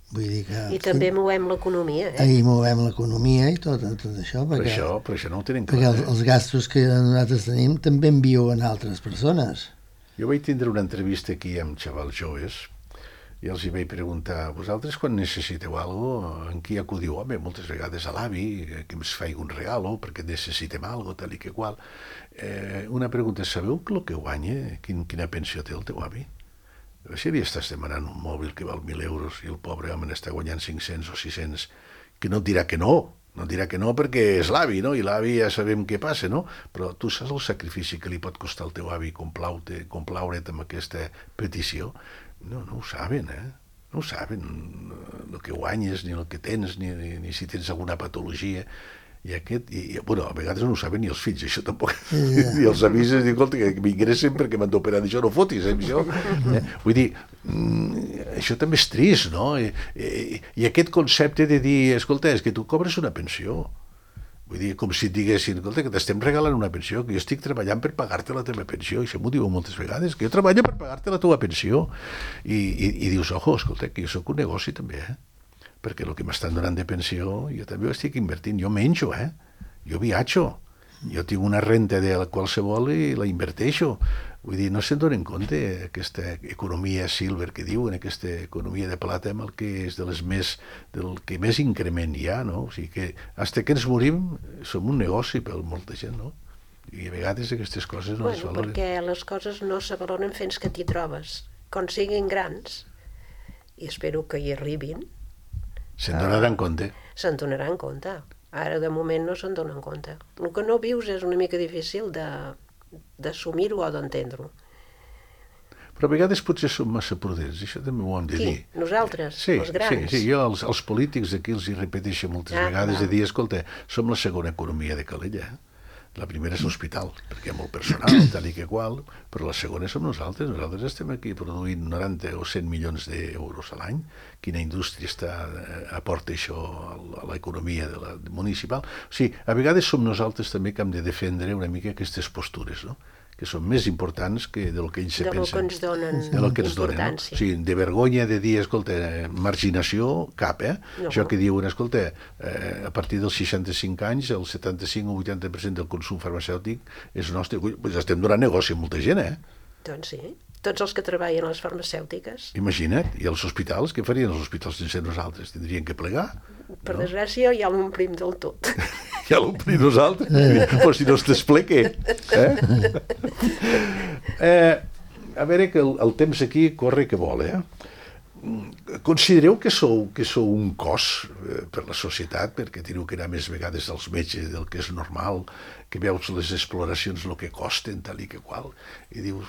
Vull dir que... I també movem l'economia, I movem l'economia i tot això. Per això no ho tenen clar. Perquè els gastos que nosaltres tenim també en viuen altres persones. Jo vaig tindre una entrevista aquí amb xavals joves i els hi vaig preguntar, vosaltres quan necessiteu alguna cosa, en qui acudiu? Home, moltes vegades a l'avi, que ens faig un regalo perquè necessitem alguna cosa, tal i que qual. Una pregunta, sabeu el que guanya? Quina pensió té el teu avi? Si li estàs demanant un mòbil que val 1.000 euros i el pobre home n'està guanyant 500 o 600, que no et dirà que no, no et dirà que no perquè és l'avi, no? I l'avi ja sabem què passa, no? Però tu saps el sacrifici que li pot costar al teu avi complaure't amb aquesta petició? No ho saben, No ho saben, el que guanyes, ni el que tens, ni si tens alguna patologia. I bueno, a vegades no ho saben ni els fills, això tampoc. I els amics es diuen, escolta, que m'ingressen perquè m'han d'operar d'això, no fotis, això. Vull dir, això també és trist, no? I aquest concepte de dir, escolta, és que tu cobres una pensió. Vull dir, com si et diguessin, escolta, que t'estem regalant una pensió, que jo estic treballant per pagar-te la teva pensió, i això m'ho diuen moltes vegades, que jo treballo per pagar-te la teva pensió. I dius, ojo, escolta, que jo sóc un negoci també, perquè el que m'estan donant de pensió, jo també ho estic invertint, jo menjo, jo viatjo, jo tinc una renta de qualsevol i la inverteixo. Vull dir, no se'n donen compte aquesta economia silver que diuen, aquesta economia de plata amb el que és del que més increment hi ha, no? O sigui que, fins que ens morim, som un negoci per molta gent, no? I a vegades aquestes coses no es valoren. Perquè les coses no se valoren fins que t'hi trobes. Quan siguin grans, i espero que hi arribin, se'n donaran compte. Se'n donaran compte. Ara, de moment, no se'n donen compte. El que no vius és una mica difícil d'assumir-ho o d'entendre-ho. Però a vegades potser som massa prudents, això també ho hem de dir. Qui? Nosaltres? Sí, els grans? Sí, jo als polítics aquí els hi repeteixo moltes vegades de dir, escolta, som la segona economia de Calella, La primera és l'hospital, perquè hi ha molt personal, tal i que qual, però la segona som nosaltres. Nosaltres estem aquí produint 90 o 100 milions d'euros a l'any. Quina indústria aporta això a l'economia municipal? O sigui, a vegades som nosaltres també que hem de defendre una mica aquestes postures, no? Que són més importants que del que ells se pensen. De lo que ens donen importància. No? O sigui, de vergonya de dir, escolta, marginació, cap, No. Això que diuen, escolta, a partir dels 65 anys, el 75 o 80% del consum farmacèutic és nostre. Pues estem donant negoci a molta gent, Doncs sí. Tots els que treballen a les farmacèutiques. Imagina't, i els hospitals, què farien els hospitals sense nosaltres? Tindrien que plegar? Per desgràcia, ja l'omplim del tot. Ja l'omplim nosaltres? Però si no es desplegue. A veure, que el temps aquí corre que vol, Considereu que sou un cos per la societat, perquè teniu que anar més vegades als metges del que és normal, que veus les exploracions el que costen, tal i que qual, i dius,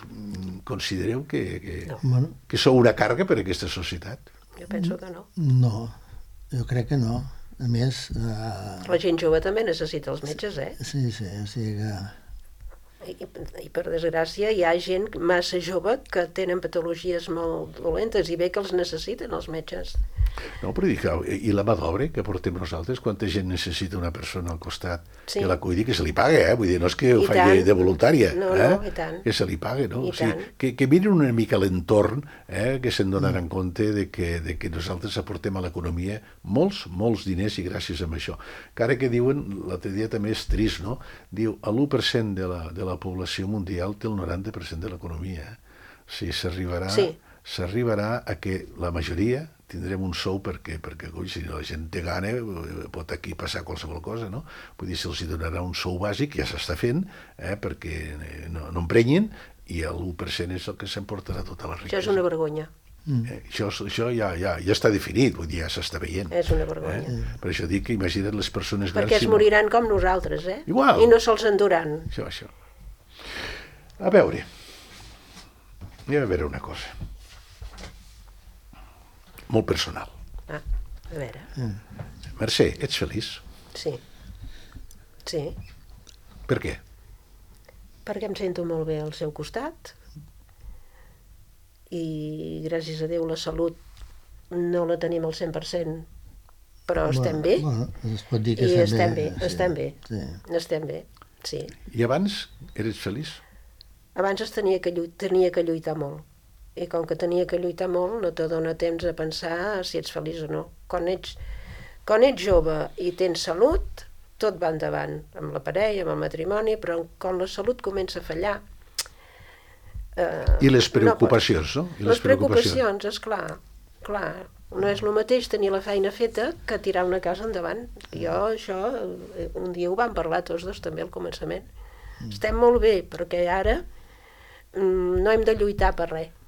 considereu que sou una càrrega per a aquesta societat? Jo penso que no. No, jo crec que no. A més... La gent jove també necessita els metges, Sí, o sigui que... I per desgràcia hi ha gent massa jove que tenen patologies molt dolentes i bé que els necessiten els metges. No, però dic, i la mà d'obra que portem nosaltres, quanta gent necessita una persona al costat que la cuidi, que se li paga, vull dir, no és que ho faci de voluntària, no, i tant. Que se li paga, no? O sigui, que mirin una mica l'entorn, que se'n donaran compte de que nosaltres aportem a l'economia molts diners i gràcies a això. Que ara que diuen, l'altre dia també és trist, no? Diu, el 1% de la població mundial té el 90% de l'economia. O sigui, s'arribarà a que la majoria tindrem un sou perquè si la gent té gana pot aquí passar qualsevol cosa, no? Vull dir, se'ls donarà un sou bàsic, ja s'està fent, perquè no emprenyin, i el 1% és el que s'emportarà tota la riquesa. Això és una vergonya. Això ja està definit, vull dir, ja s'està veient. És una vergonya. Per això dic que imagina't les persones grans... Perquè es moriran com nosaltres, Igual. I no se'ls enduran. Això. A veure, anem a veure una cosa. Molt personal. A veure. Mercè, ets feliç? Sí. Per què? Perquè em sento molt bé al seu costat i gràcies a Déu la salut no la tenim al 100%, però estem bé. Es pot dir que estem bé. Estem bé, sí. I abans eres feliç? Abans tenia que lluitar molt. I com que tenia que lluitar molt, no te dona temps a pensar si ets feliç o no. Quan ets jove i tens salut, tot va endavant, amb la parella, amb el matrimoni, però quan la salut comença a fallar... I les preocupacions, no? Les preocupacions, esclar. No és el mateix tenir la feina feta que tirar una casa endavant. Jo això, un dia ho vam parlar tots dos també al començament. Estem molt bé, perquè ara no hem de lluitar per res.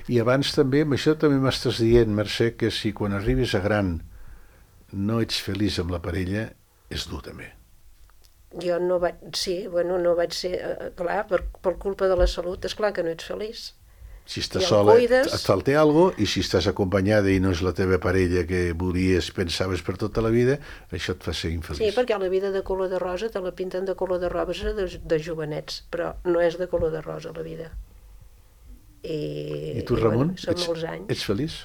I abans també, amb això també m'estàs dient, Mercè, que si quan arribes a gran no ets feliç amb la parella, és dur també. Jo no vaig... Sí, bueno, no vaig ser... clar, per culpa de la salut, és clar que no ets feliç. Si estàs I el sola cuides. et falta alguna cosa, i si estàs acompanyada i no és la teva parella que volies, pensaves per tota la vida, això et fa ser infeliç. Sí, perquè la vida de color de rosa te la pinten de color de rosa de jovenets, però no és de color de rosa la vida. I tu, Ramon, bueno, són molts anys. ets feliç?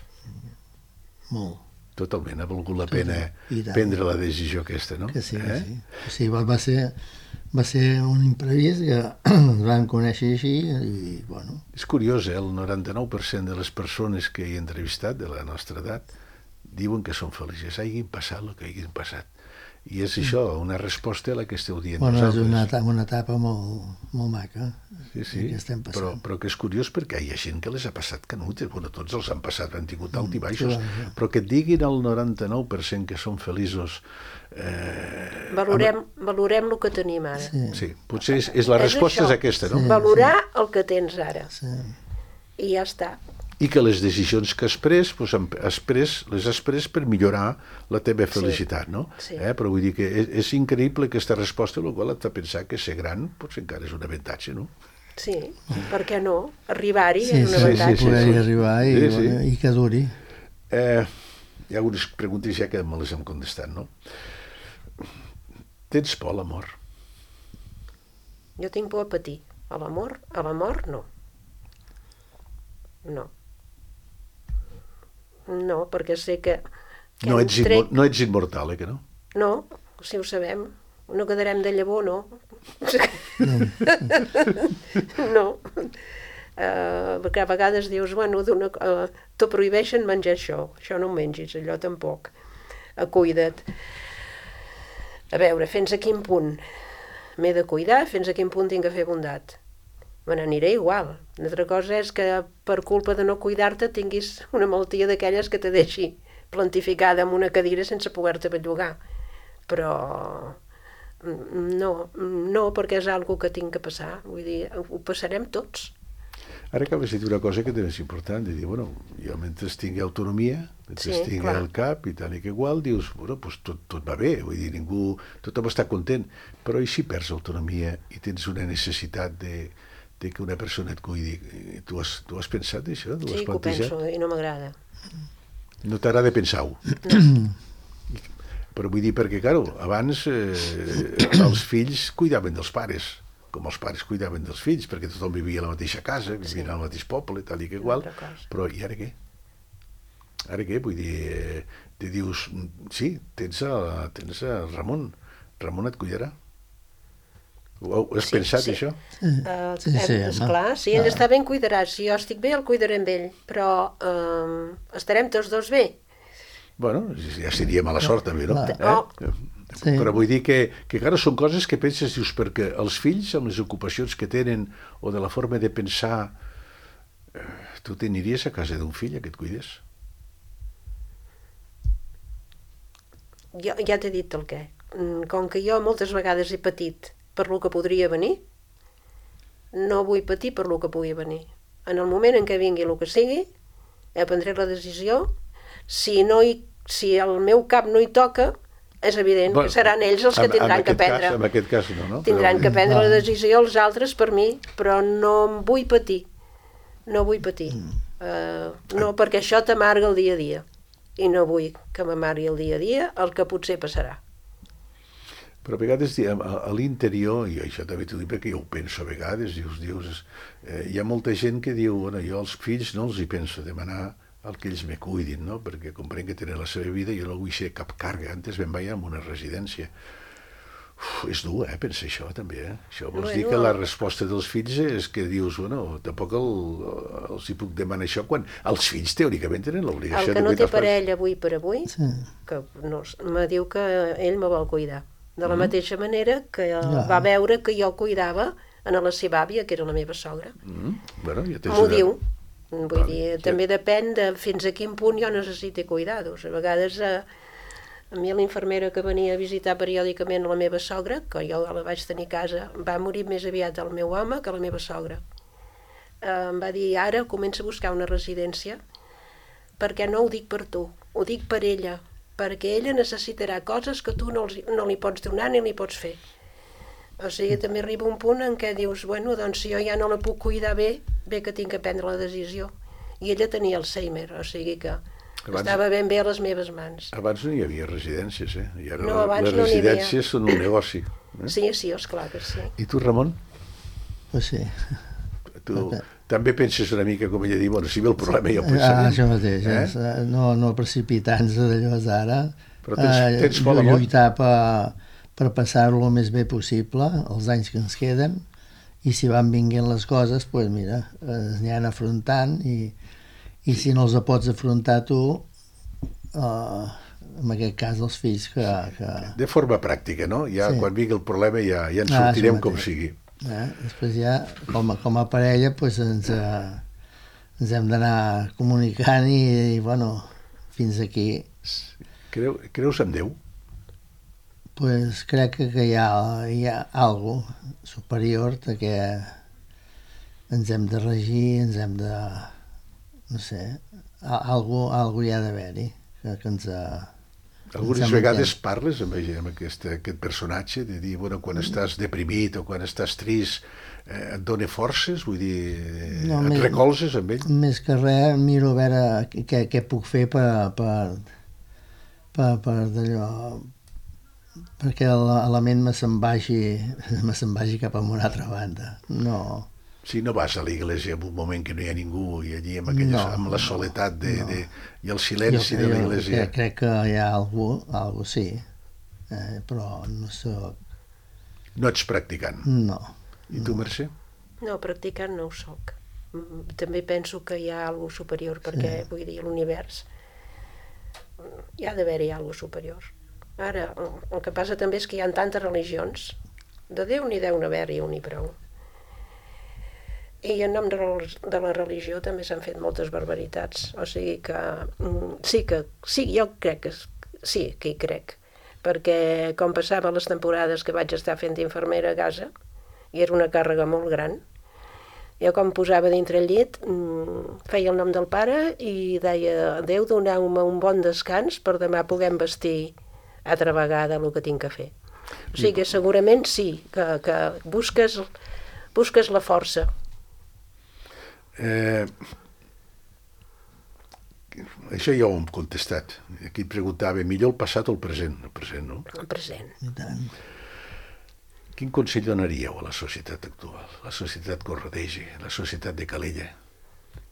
Molt. Totalment, ha valgut la pena I tant. prendre la decisió aquesta, no? Que sí, que sí. Sí, va ser un imprevist que ens vam conèixer així i, bueno... És curiós, el 99% de les persones que he entrevistat de la nostra edat diuen que són felices, hagin passat el que hagin passat. I és això, una resposta a la que esteu dient Bueno, vosaltres. és una etapa molt maca. Sí, que estem passant. però que és curiós perquè hi ha gent que les ha passat canutes, bueno, tots els han passat, han tingut alt i baixos, sí. però que et diguin el 99% que són feliços... Valorem el que tenim ara. Sí, potser és la resposta és aquesta, no? Valorar el que tens ara. Sí. I ja està. I que les decisions que has pres, les has pres per millorar la teva felicitat, no? Sí. Però vull dir que és increïble aquesta resposta, el qual et fa pensar que ser gran potser encara és un avantatge, no? Sí, per què no? Arribar-hi Sí, és un sí, avantatge. poder-hi arribar i, Sí, sí. bueno, i que duri. Hi ha algunes preguntes ja que me les hem contestat, no? Tens por a l'amor? Jo tinc por a patir. A l'amor no. No. No, perquè sé que No ets immortal, que no? No, si ho sabem. No quedarem de llavor, no. No. Perquè a vegades dius, bueno, te prohibeixen menjar això no ho mengis, allò tampoc. Cuida't. A veure, fins a quin punt m'he de cuidar, fins a quin punt tinc que fer bondat. Me n'aniré igual. Una altra cosa és que per culpa de no cuidar-te tinguis una malaltia d'aquelles que te deixi plantificada en una cadira sense poder-te bellugar. Però no, perquè és algo que tinc que passar. Vull dir, ho passarem tots. Ara acabes de dir una cosa que també és important, de dir, bueno, jo mentre tingui autonomia, mentre tingui el cap i tal i que igual, dius, bueno, doncs tot va bé, vull dir, tothom està content, però i si perds autonomia i tens una necessitat de que una persona et cuidi, tu has pensat això? Sí, que ho penso i no m'agrada. No t'agrada pensar-ho? No. Però vull dir, perquè, clar, abans els fills cuidaven dels pares, com els pares cuidaven dels fills, perquè tothom vivia a la mateixa casa, vivien al mateix poble, tal i que igual, però i ara què? Ara què? Vull dir, te dius, sí, tens el Ramon et cuidarà. Ho has pensat, això? Esclar, si ell està bé, em cuidarà. Si jo estic bé, el cuidaré amb ell. Però estarem tots dos bé. Bueno, ja seria mala sort, també, no? Sí. Però vull dir que clar, són coses que penses, dius, perquè els fills, amb les ocupacions que tenen, o de la forma de pensar, tu t'aniries a casa d'un fill a que et cuidés? Jo ja t'he dit el què. Com que jo moltes vegades he patit per lo que podria venir, no vull patir per lo que pugui venir. En el moment en què vingui el que sigui, prendré la decisió. Si el meu cap no hi toca, és evident que seran ells els que tindran que prendre. En aquest cas no? Tindran que prendre la decisió els altres per mi, però no em vull patir. No vull patir. No, perquè això t'amarga el dia a dia. I no vull que m'amargui el dia a dia el que potser passarà. Però a vegades a l'interior, i això també t'ho dic perquè jo ho penso a vegades, hi ha molta gent que diu, bueno, jo als fills no els hi penso demanar el que ells me cuidin, no? Perquè comprenc que tenen la seva vida i jo no vull ser cap càrrega. Antes vam veure en una residència. És dur, pensar això també. Això vols dir que la resposta dels fills és que dius, bueno, tampoc els hi puc demanar això quan els fills teòricament tenen l'obligació de cuidar els pares. El que no té parella avui per avui, que me diu que ell me vol cuidar. De la mateixa manera que va veure que jo cuidava a la seva àvia, que era la meva sogra. M'ho diu. Vull dir, també depèn de fins a quin punt jo necessito cuidados. A vegades a mi l'infermera que venia a visitar periòdicament la meva sogra, que jo la vaig tenir a casa, va morir més aviat el meu home que la meva sogra. em va dir, ara comença a buscar una residència, perquè no ho dic per tu, ho dic per ella, perquè ella necessitarà coses que tu no li pots donar ni li pots fer. O sigui, també arriba un punt en què dius, bueno, doncs si jo ja no la puc cuidar bé que tinc que prendre la decisió. I ella tenia Alzheimer, o sigui que estava ben bé a les meves mans. Abans no hi havia residències, I ara No, abans les no n'hi havia. residències són un negoci. Sí, esclar que sí. I tu, Ramon? Pues sí. Tu també penses una mica, com ella diu, bueno, si ve el problema ja ho Això pensarem. mateix, no precipitar-nos d'allò d'ara, Però tens por de mort? lluitar per passar-ho el més bé possible, els anys que ens queden, i si van vinguent les coses, doncs mira, es aniran afrontant, i si no els pots afrontar tu, en aquest cas els fills que... De forma pràctica, no? Ja Sí. quan vingui el problema ja en sortirem com sigui. Després ja, com a parella, doncs ens hem d'anar comunicant i, bueno, fins aquí. Creus en Déu? Pues crec que hi ha algo superior de que ens hem de regir, ens hem de... no sé, algo hi ha d'haver-hi que ens... Algunes vegades parles amb aquest personatge, de dir, bueno, quan estàs deprimit o quan estàs trist, et dona forces, vull dir, et recolzes amb ell? Més que res, miro a veure què puc fer per d'allò, perquè la ment me se'n vagi cap a una altra banda. No. Si no vas a l'església en un moment que no hi ha ningú i allí amb la soledat i el silenci de l'església... Crec que hi ha algú sí, però no soc... No ets practicant? No. I tu, Mercè? No, practicant no ho soc. També penso que hi ha algo superior, perquè, vull dir, l'univers hi ha d'haver-hi algo superior. Ara, el que passa també és que hi ha tantes religions. De Déu n'hi deu haver-hi un i prou. I en nom de la religió també s'han fet moltes barbaritats. O sigui que sí, jo crec que sí, que hi crec. Perquè com passava les temporades que vaig estar fent d'infermera a casa, i era una càrrega molt gran, jo com posava dintre el llit, feia el nom del pare i deia, Déu, doneu-me un bon descans per demà poder vestir altra vegada el que tinc que fer. O sigui que segurament sí, que busques la força. Això ja ho hem contestat. Aquí et preguntava, millor el passat o el present? El present, no? El present. I tant. Quin consell donaríeu a la societat actual, la societat que us rodeja, la societat de Calella?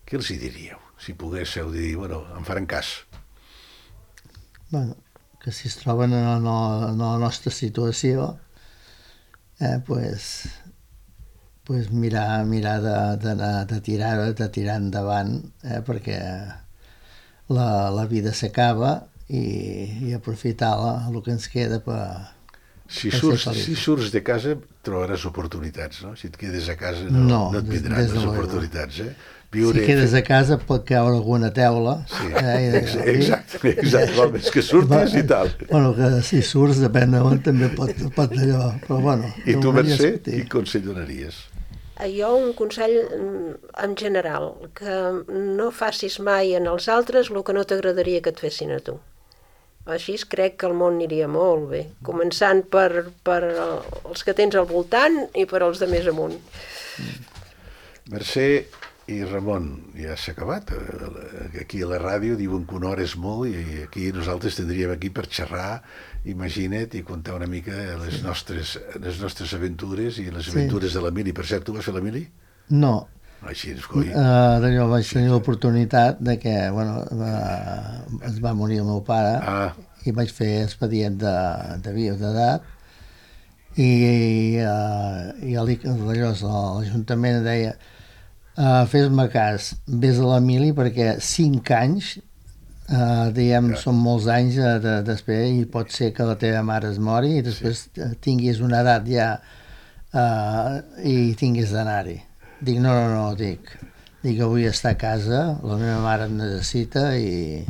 Què els hi diríeu? Si poguéssiu dir, bueno, em faran cas. Bueno, que si es troben en la nostra situació, pues mirar de tirar endavant, perquè la vida s'acaba i aprofitar el que ens queda per Si surts de casa trobaràs oportunitats, no? Si et quedes a casa no et vindran les oportunitats, Si quedes a casa pot caure alguna teula. Sí, exacte, és que surtis i tal. Bueno, que si surts depèn d'on també pot allò, però bueno. I tu, Mercè, quin consell donaries? Jo un consell en general, que no facis mai en els altres el que no t'agradaria que et fessin a tu. Així crec que el món aniria molt bé, començant per els que tens al voltant i per els de més amunt. Mercè i Ramon, ja s'ha acabat. Aquí a la ràdio diuen que una hora és molt i aquí nosaltres tindríem aquí per xerrar, imagina't, i contar una mica les nostres aventures i les aventures de la Mili. Per cert, tu vas fer la Mili? No. Així és, coi. D'allò vaig tenir l'oportunitat de que, bueno, es va morir el meu pare i vaig fer expedient de viudetat i l'Ajuntament deia fes-me cas, vés a la Mili perquè 5 anys diguem, són molts anys d'espera i pot ser que la teva mare es mori i després tinguis una edat ja i tinguis d'anar-hi. Dic, no, dic, vull estar a casa, la meva mare em necessita i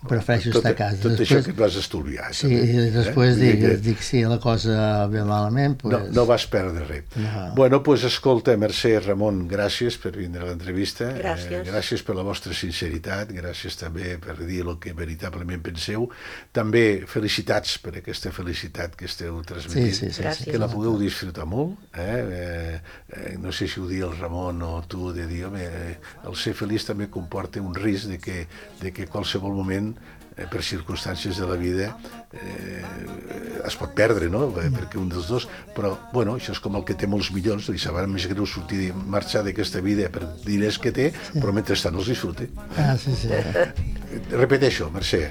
prefereixo estar a casa. Tot això que et vas estalviar. Sí, i després dic, si la cosa ve malament... No vas perdre res. Bueno, doncs escolta, Mercè, Ramon, gràcies per vindre a l'entrevista. Gràcies per la vostra sinceritat, gràcies també per dir el que veritablement penseu. També felicitats per aquesta felicitat que esteu transmetint, que la pugueu disfrutar molt. No sé si ho dir el Ramon o tu, de dir, home, el ser feliç també comporta un risc de que qualsevol moment per circumstàncies de la vida es pot perdre, no? Perquè un dels dos, però bueno, això és com el que té molts milions, li sabrà més greu sortir i marxar d'aquesta vida per diners que té, però mentrestant els disfruta. Repeteixo, Mercè,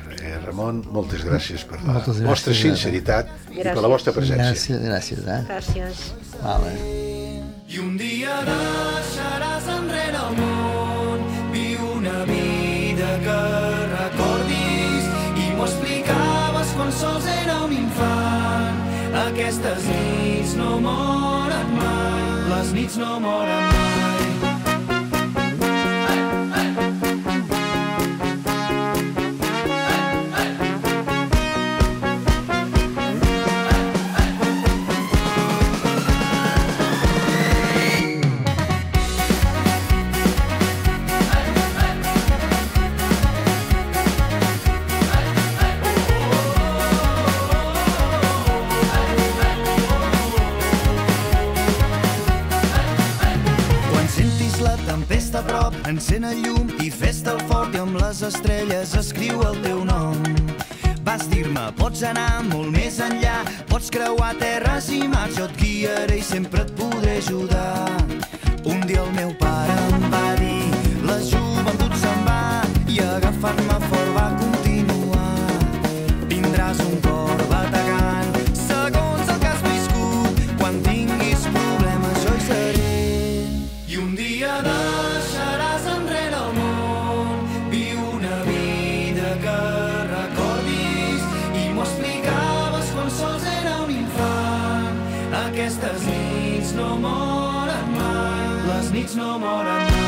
Ramon, moltes gràcies per la vostra sinceritat i per la vostra presència. Gràcies. Gràcies. Vale. I un dia deixaràs enrere el món, viu una vida que recordis, i m'ho explicaves quan sols era un infant. Aquestes nits no moren mai, les nits no moren mai. Tempesta a prop, encén el llum i fes-te el fort, i amb les estrelles escriu el teu nom. Vas dir-me, pots anar molt més enllà, pots creuar terres i mars, jo et guiaré i sempre et podré ajudar. Un dia el meu pare em va dir, la joventut se'n va, i agafant-me fort va continuar. Tindràs un cor bategant, segons el que has viscut, quan tinguis problemes jo hi seré. I un dia deixaràs enrere el món, viu una vida que recordis, i m'ho explicaves quan sols era un infant. Aquestes nits no moren mai, les nits no moren mai.